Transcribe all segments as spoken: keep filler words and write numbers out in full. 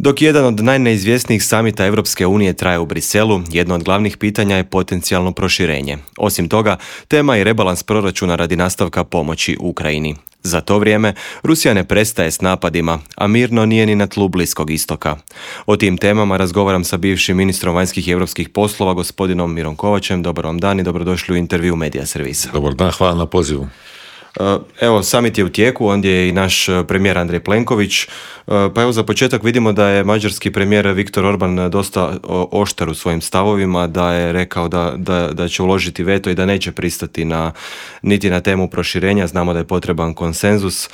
Dok jedan od najneizvjesnijih samita Europske unije traje u Briselu, jedno od glavnih pitanja je potencijalno proširenje. Osim toga, tema je i rebalans proračuna radi nastavka pomoći Ukrajini. Za to vrijeme, Rusija ne prestaje s napadima, a mirno nije ni na tlu Bliskog istoka. O tim temama razgovaram sa bivšim ministrom vanjskih i europskih poslova, gospodinom Mirom Kovačem. Dobar vam dan i dobrodošli u intervju Medija Servisa. Dobar dan, hvala na pozivu. Evo, summit je u tijeku, ondje je i naš premijer Andrej Plenković. Pa evo, za početak vidimo da je mađarski premijer Viktor Orban dosta oštar u svojim stavovima, da je rekao da, da, da će uložiti veto i da neće pristati na, niti na temu proširenja. Znamo da je potreban konsenzus.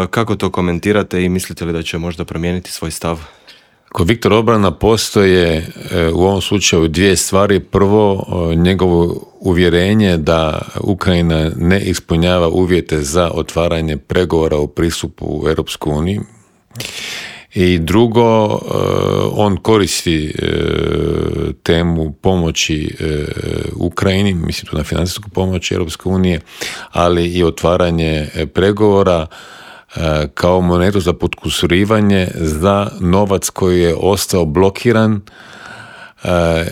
Kako to komentirate i mislite li da će možda promijeniti svoj stav? Kod Viktora Orbana postoje u ovom slučaju dvije stvari. Prvo, njegovo uvjerenje da Ukrajina ne ispunjava uvjete za otvaranje pregovora u pristupu u Europsku uniju. I drugo, on koristi temu pomoći Ukrajini, mislim tu na financijsku pomoć Europske unije, ali i otvaranje pregovora kao monetu za potkusurivanje za novac koji je ostao blokiran,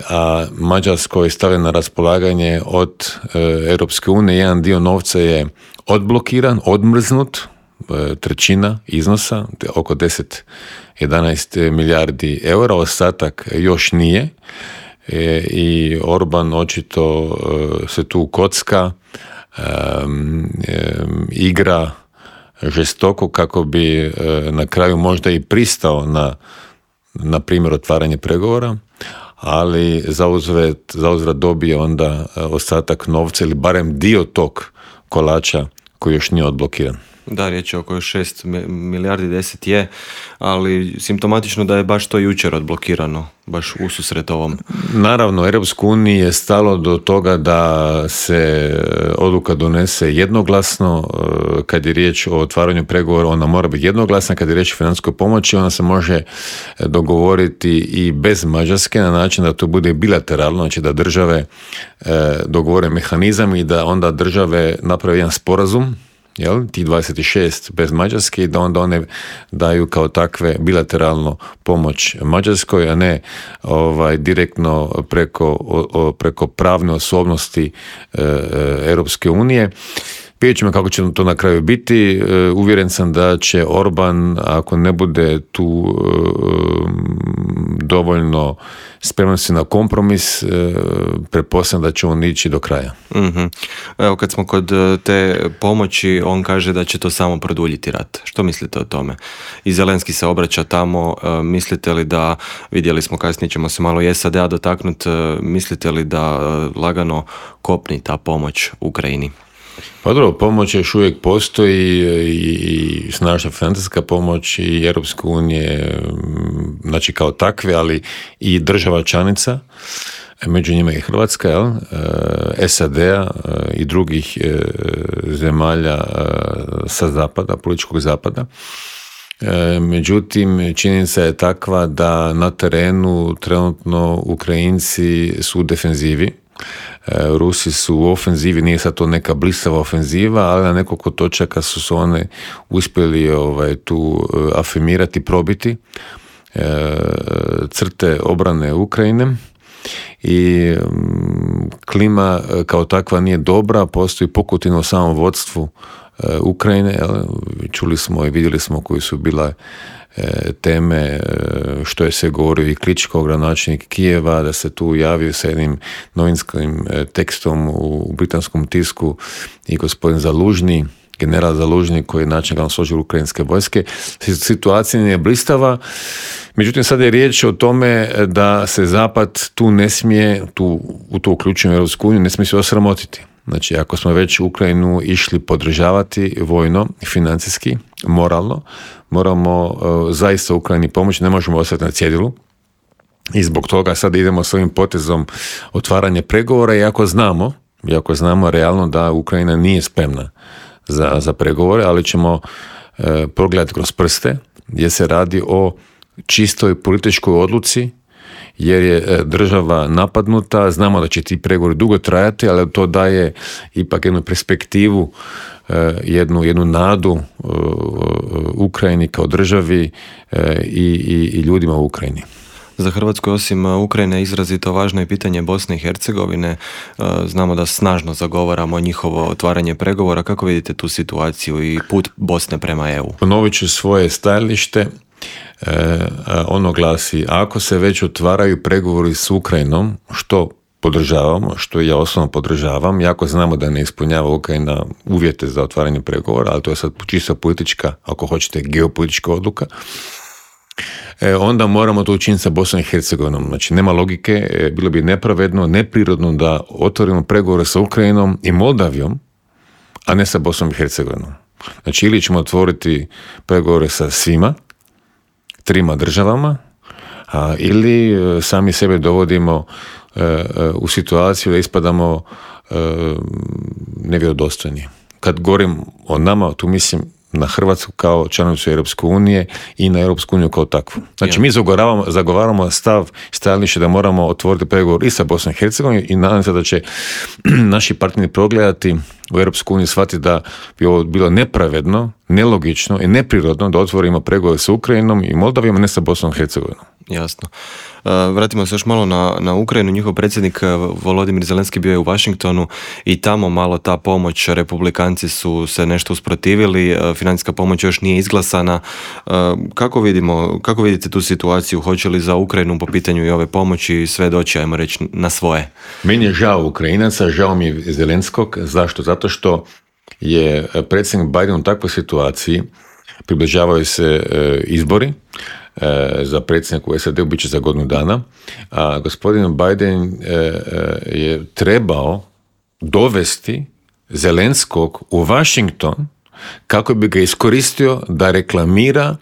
a Mađarskoj je stavljen na raspolaganje od Europske unije. Jedan dio novca je odblokiran, odmrznut, trećina iznosa, oko deset do jedanaest milijardi eura, ostatak još nije. I Orban očito se tu kocka, igra žestoko kako bi na kraju možda i pristao na, na primjer, otvaranje pregovora, ali zauzvrat, zauzvrat dobije onda ostatak novca ili barem dio tog kolača koji još nije odblokiran. Da, riječ je oko šest milijardi, deset je, ali simptomatično da je baš to jučer odblokirano, baš ususret ovom. Naravno, Europskoj uniji je stalo do toga da se odluka donese jednoglasno. Kad je riječ o otvaranju pregovora, ona mora biti jednoglasna. Kad je riječ o financijskoj pomoći, ona se može dogovoriti i bez Mađarske na način da to bude bilateralno, znači da države dogovore mehanizam i da onda države naprave jedan sporazum, jel, ti dvadeset šest bez Mađarske, i da onda one daju kao takve bilateralno pomoć Mađarskoj, a ne ovaj, direktno preko, o, preko pravne osobnosti e, Europske unije. Vidjet ćemo kako će to na kraju biti. E, uvjeren sam da će Orban, ako ne bude tu e, dovoljno spreman si na kompromis, e, pretpostavljam da će on ići do kraja. Mm-hmm. Evo, kad smo kod te pomoći, on kaže da će to samo produljiti rat. Što mislite o tome? I Zelenski se obraća tamo. E, mislite li da, vidjeli smo kasnije ćemo se malo i es a de a dotaknuti, e, mislite li da e, lagano kopni ta pomoć Ukrajini? Pa dobro, pomoć još uvijek postoji i snažna financijska pomoć i Europske unije, znači kao takve, ali i država članica, među njima i Hrvatska, jel? es a de a i drugih zemalja sa zapada, političkog zapada. Međutim, činjenica je takva da na terenu trenutno Ukrajinci su u defenzivi. Rusi su u ofenzivi, nije sad to neka blistava ofenziva, ali na nekoliko točaka su se one uspjeli ovaj, tu afirmirati, probiti e, crte obrane Ukrajine i m, klima kao takva nije dobra, postoji pukotina u samom vodstvu e, Ukrajine, jel? Čuli smo i vidjeli smo koji su bila teme, što je se govorio i Kličko, gradonačelnik Kijeva, da se tu javio sa jednim novinskim tekstom u britanskom tisku i gospodin Zalužni, general Zalužni, koji je načelnik glavnog stožera ukrajinske vojske. Situacija nije blistava, međutim sad je riječ o tome da se Zapad tu ne smije, tu, u to uključujem Europsku uniju, ne smije se osramotiti. Znači, ako smo već Ukrajinu išli podržavati vojno, financijski, moralno, moramo uh, zaista Ukrajini pomoći, ne možemo ostati na cjedilu. I zbog toga sad idemo s ovim potezom otvaranje pregovora, iako znamo, iako znamo realno da Ukrajina nije spremna za, za pregovore, ali ćemo uh, progledati kroz prste, gdje se radi o čistoj političkoj odluci jer je država napadnuta, znamo da će ti pregovori dugo trajati, ali to daje ipak jednu perspektivu, jednu, jednu nadu Ukrajini kao državi i, i, i ljudima u Ukrajini. Za Hrvatsku osim Ukrajine izrazito važno je pitanje Bosne i Hercegovine. Znamo da snažno zagovaramo njihovo otvaranje pregovora. Kako vidite tu situaciju i put Bosne prema E U? Ponovit ću svoje stajalište. Ono glasi, ako se već otvaraju pregovori s Ukrajinom, što podržavamo, što ja osobno podržavam, jako znamo da ne ispunjava Ukrajina uvjete za otvaranje pregovora, ali to je sad čisto politička, ako hoćete, geopolitička odluka, E, onda moramo to učiniti sa Bosnom i Hercegovinom. Znači, nema logike, e, bilo bi nepravedno, neprirodno da otvorimo pregovore sa Ukrajinom i Moldavijom, a ne sa Bosnom i Hercegovinom. Znači, ili ćemo otvoriti pregovore sa svima, trima državama, a, ili e, sami sebe dovodimo e, e, u situaciju da ispadamo e, nevjerodostojni. Kad govorim o nama, tu mislim na Hrvatsku kao članicu Europske unije i na Europsku uniju kao takvu. Znači, mi zagovaramo, zagovaramo stav, stajalište da moramo otvoriti pregovor i sa Bosnom i Hercegovinom i nadam se da će naši partneri progledati u Europsku uniju, shvatiti da bi ovo bilo nepravedno, nelogično i neprirodno da otvorimo pregovore sa Ukrajinom i Moldavijom, a ne sa Bosnom i Hercegovinom. Jasno. Vratimo se još malo na, na Ukrajinu. Njihov predsjednik Volodimir Zelenski bio je u Washingtonu i tamo malo ta pomoć, republikanci su se nešto usprotivili, financijska pomoć još nije izglasana. Kako vidimo, kako vidite tu situaciju? Hoće li za Ukrajinu po pitanju i ove pomoći sve doći, ajmo reći, na svoje? Meni je žao Ukrajinaca, žao mi je Zelenskog. Zašto? Zato što je predsjednik Biden u takvoj situaciji, približavaju se izbori za predsjednika u S A D-u, bit će za godinu dana, a gospodin Biden je trebao dovesti Zelenskog u Washington kako bi ga iskoristio da reklamira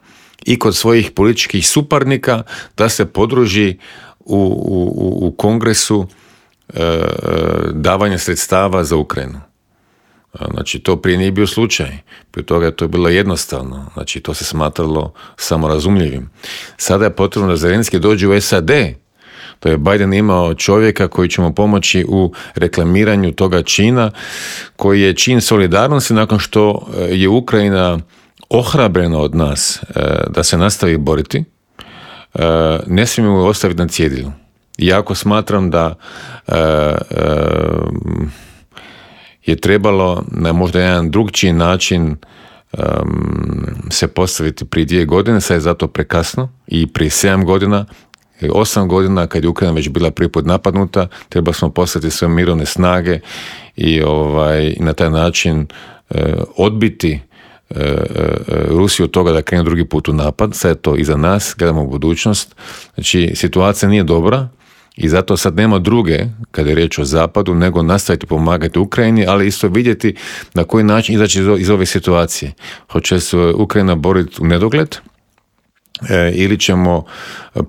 i kod svojih političkih suparnika da se podruži u, u, u kongresu davanja sredstava za Ukrajinu. Znači, to prije nije bio slučaj. Prije toga je to bilo jednostavno. Znači, to se smatralo samorazumljivim. Sada je potrebno da Zelenski dođe u S A D. To je Biden imao čovjeka koji će mu pomoći u reklamiranju toga čina, koji je čin solidarnosti nakon što je Ukrajina ohrabrena od nas da se nastavi boriti. Ne smijemo ju ostaviti na cjedilu. Iako smatram da je trebalo na možda jedan drugčiji način um, se postaviti prije dvije godine, sad je zato prekasno, i prije sedam godina, osam godina, kad je Ukrajina već bila prvi put napadnuta, treba smo poslati sve mirovne snage i ovaj, na taj način uh, odbiti uh, uh, Rusiju od toga da krene drugi put u napad. Sad je to iza nas, gledamo u budućnost. Znači, situacija nije dobra, i zato sad nema druge, kada je riječ o zapadu, nego nastaviti pomagati Ukrajini, ali isto vidjeti na koji način izaći iz ove situacije. Hoće se Ukrajina boriti u nedogled e, ili ćemo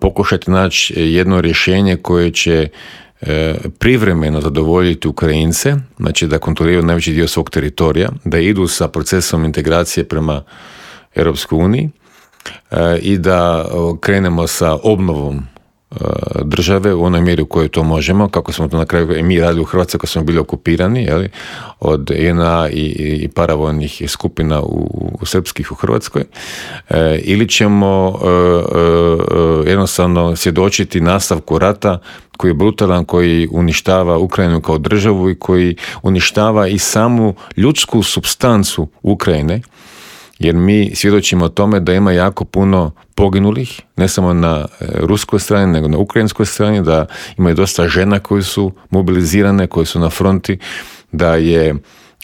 pokušati naći jedno rješenje koje će e, privremeno zadovoljiti Ukrajince, znači da kontroliraju najveći dio svog teritorija, da idu sa procesom integracije prema Europskoj uniji e, i da krenemo sa obnovom države u onoj mjeri u kojoj to možemo, kako smo to na kraju i mi radili u Hrvatskoj kad smo bili okupirani, jeli, od J N A i, i paravojnih skupina u, u srpskih u Hrvatskoj, e, ili ćemo e, e, jednostavno svjedočiti nastavku rata koji je brutalan, koji uništava Ukrajinu kao državu i koji uništava i samu ljudsku supstancu Ukrajine, jer mi svjedočimo o tome da ima jako puno poginulih, ne samo na ruskoj strani, nego na ukrajinskoj strani, da ima i dosta žena koji su mobilizirane, koji su na fronti, da je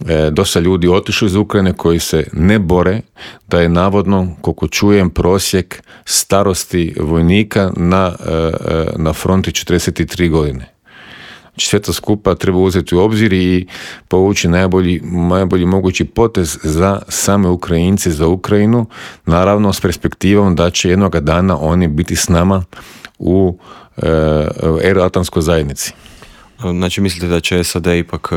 e, dosta ljudi otišlo iz Ukrajine koji se ne bore, da je navodno, koliko čujem, prosjek starosti vojnika na, e, na fronti četrdeset tri godine. Sve to skupa treba uzeti u obzir i povući najbolji, najbolji mogući potez za same Ukrajince, za Ukrajinu, naravno s perspektivom da će jednoga dana oni biti s nama u e, euroatlantskoj zajednici. Znači mislite da će S A D ipak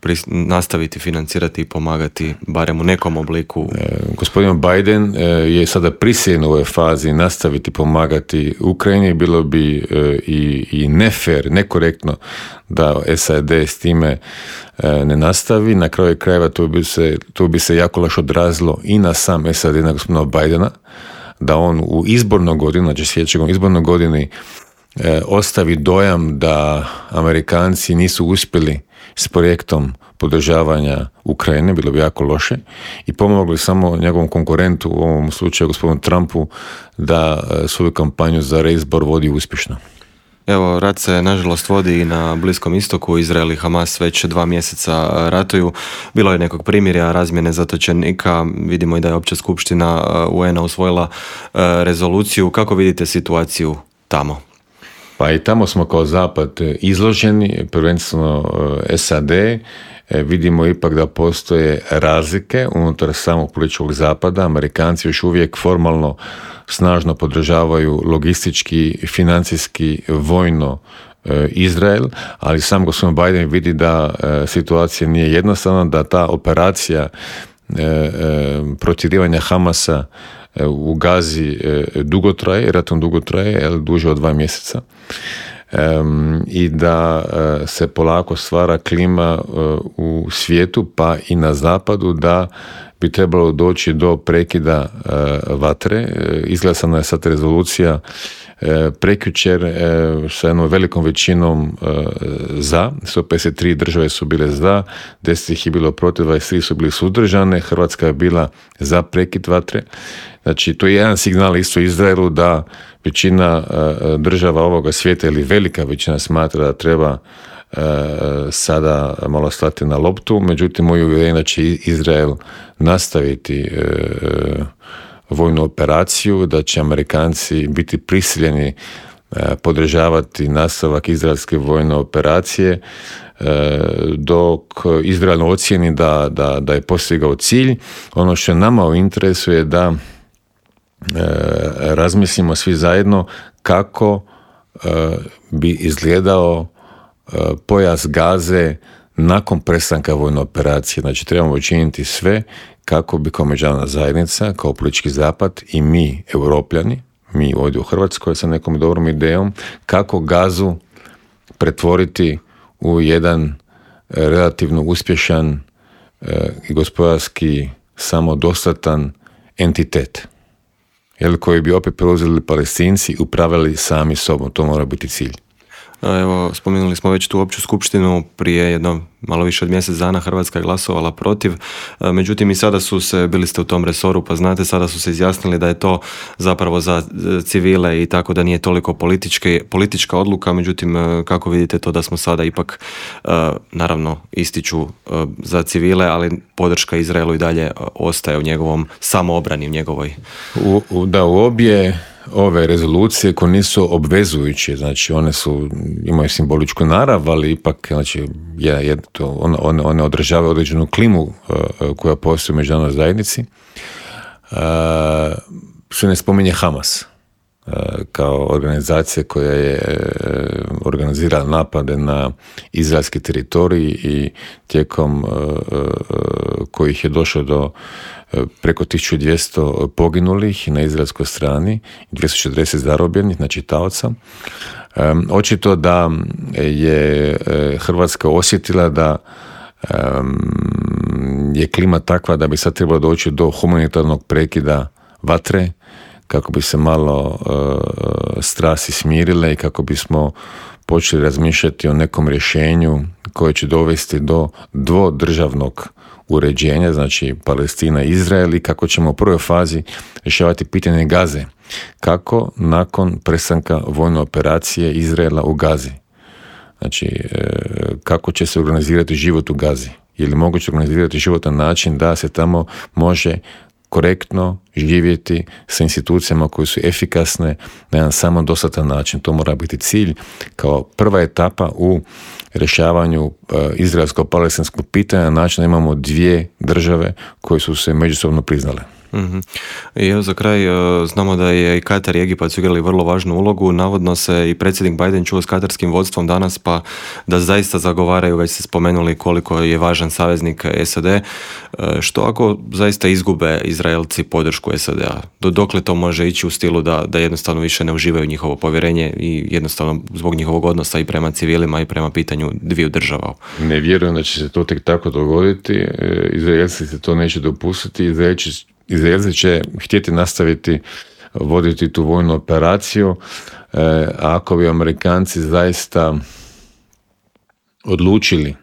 pris- nastaviti financirati i pomagati barem u nekom obliku? E, gospodin Biden e, je sada prisiljen u ovoj fazi nastaviti pomagati Ukrajini. Bilo bi e, i, i nefer, nekorektno da S A D s time e, ne nastavi. Na kraju krajeva to bi se, to bi se jako loše odrazilo i na sam S A D, na gospodina Bidena, da on u izbornoj godini, znači sljedećeg izbornoj godini, E, ostavi dojam da Amerikanci nisu uspjeli s projektom podržavanja Ukrajine, bilo bi jako loše, i pomogli samo njegovom konkurentu, u ovom slučaju gospodinu Trumpu, da svoju kampanju za reizbor vodi uspješno. Evo, rat se nažalost vodi i na Bliskom istoku. Izrael i Hamas već dva mjeseca ratuju. Bilo je nekog primirja, razmjene zatočenika. Vidimo i da je Opća skupština U N-a usvojila rezoluciju. Kako vidite situaciju tamo? Pa i tamo smo kao Zapad izloženi, prvenstveno S A D. Vidimo ipak da postoje razlike unutar samog političkog Zapada. Amerikanci još uvijek formalno snažno podržavaju logistički, financijski, vojno Izrael, ali sam gospodin Biden vidi da situacija nije jednostavna, da ta operacija protjerivanja Hamasa u Gazi dugo traje, ratom dugo traje, duže od dva mjeseca. Um, i da uh, se polako stvara klima uh, u svijetu, pa i na zapadu, da bi trebalo doći do prekida uh, vatre. Uh, izglasana je sad rezolucija uh, prekjučer uh, sa jednom velikom većinom uh, za, sto pedeset tri države su bile za, deset ih je bilo protiv, dvadeset tri su bili suzdržane, Hrvatska je bila za prekid vatre. Znači, to je jedan signal isto Izraelu da većina uh, država ovoga svijeta ili velika većina smatra da treba uh, sada malo stati na loptu, međutim, moju uvjerenje da će Izrael nastaviti uh, vojnu operaciju, da će Amerikanci biti prisiljeni uh, podržavati nastavak izraelske vojne operacije, uh, dok Izrael ocijeni da, da, da je postigao cilj. Ono što je nama u interesu je da E, razmislimo svi zajedno kako e, bi izgledao e, pojas Gaze nakon prestanka vojne operacije. Znači, trebamo učiniti sve kako bi kao međunarodna zajednica, kao politički zapad i mi, Europljani, mi ovdje u Hrvatskoj sa nekom dobrom idejom, kako Gazu pretvoriti u jedan relativno uspješan e, i gospodarski samodostatan entitet, jer koji bi opet preuzeli Palestinci i upravljali sami sobom. To mora biti cilj. Evo, spomenuli smo već tu opću skupštinu, prije jedno malo više od mjesec dana Hrvatska je glasovala protiv, međutim i sada su se, bili ste u tom resoru pa znate, sada su se izjasnili da je to zapravo za civile i tako da nije toliko političke, politička odluka, međutim kako vidite to da smo sada ipak, naravno ističu za civile, ali podrška Izraelu i dalje ostaje u njegovom samoobrani, u njegovoj... U, u, da, u obje ove rezolucije koje nisu obvezujuće, znači one su, imaju simboličku narav, ali ipak, znači, je, je to, one, one, one odražavaju određenu klimu uh, koja postoji u međunarodnoj zajednici. Uh, se ne spominje Hamas uh, kao organizacija koja je uh, organizirala napade na izraelski teritorij i tijekom uh, uh, kojih je došlo do preko tisuću dvjesto poginulih na izraelskoj strani, dvjesto četrdeset zarobljenih, znači taoca. Um, očito da je Hrvatska osjetila da um, je klima takva da bi sad trebalo doći do humanitarnog prekida vatre, kako bi se malo uh, strasti smirile i kako bismo počeli razmišljati o nekom rješenju koje će dovesti do dvodržavnog uređenja, znači Palestina i Izrael, i kako ćemo u prvoj fazi rješavati pitanje Gaze. Kako nakon prestanka vojne operacije Izraela u Gazi? Znači, kako će se organizirati život u Gazi? Je li moguće organizirati život na način da se tamo može korektno živjeti sa institucijama koje su efikasne na jedan samodostatan način? To mora biti cilj kao prva etapa u rješavanju uh, izraelsko-palestinskog pitanja na način da imamo dvije države koje su se međusobno priznale. Mm-hmm. I evo za kraj, znamo da je i Katar i Egipat su igrali vrlo važnu ulogu. Navodno se i predsjednik Biden čuo s katarskim vodstvom danas, pa da zaista zagovaraju, već ste spomenuli koliko je važan saveznik S A D. Što ako zaista izgube Izraelci podršku S A D-a? Do dokle to može ići u stilu da, da jednostavno više ne uživaju njihovo povjerenje i jednostavno zbog njihovog odnosa i prema civilima i prema pitanju dviju država? Ne vjerujem da će se to tek tako dogoditi. Izraelci se to neće dopustiti. Izraelci, Izraelci će htjeti nastaviti voditi tu vojnu operaciju. A ako bi Amerikanci zaista odlučili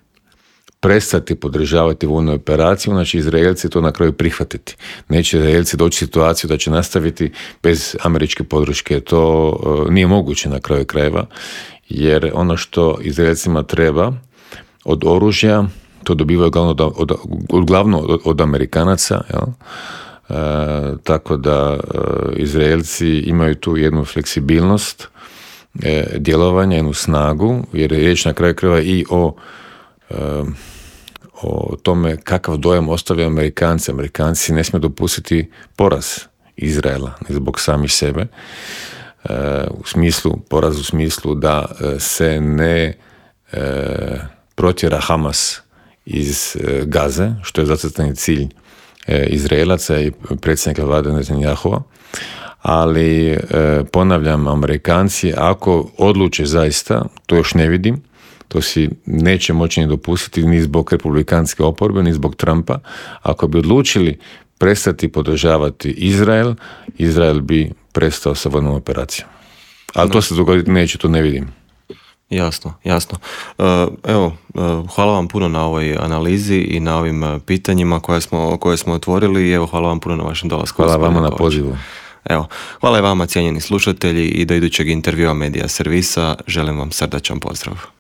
prestati podržavati vojnu operaciju, znači Izraelci to na kraju prihvatiti. Neće Izraelci doći u situaciju da će nastaviti bez američke podrške. To uh, nije moguće na kraju krajeva, jer ono što Izraelcima treba od oružja, to dobivaju glavno od, od, od, glavno od, od Amerikanaca, jel? Uh, tako da uh, Izraelci imaju tu jednu fleksibilnost uh, djelovanja, jednu snagu, jer je riječ na kraju krajeva i o o tome kakav dojam ostavljaju Amerikanci. Amerikanci ne smiju dopustiti poraz Izraela zbog samih sebe, u smislu, poraz u smislu da se ne protjera Hamas iz Gaze, što je zacrtani cilj Izraelaca i predsjednika vlade Netanjahua. Ali ponavljam, Amerikanci ako odluče zaista, to još ne vidim, to si neće moći ni dopustiti ni zbog republikanske oporbe, ni zbog Trumpa. Ako bi odlučili prestati podržavati Izrael, Izrael bi prestao sa vojnom operacijom. Ali to se dogoditi neće, to ne vidim. Jasno, jasno. Evo, hvala vam puno na ovoj analizi i na ovim pitanjima koje smo, koje smo otvorili i evo, hvala vam puno na vašem dolasku. Hvala vama na pozivu. Evo, hvala i vama, cijenjeni slušatelji, i do idućeg intervjua Medija Servisa želim vam srdačan pozdrav.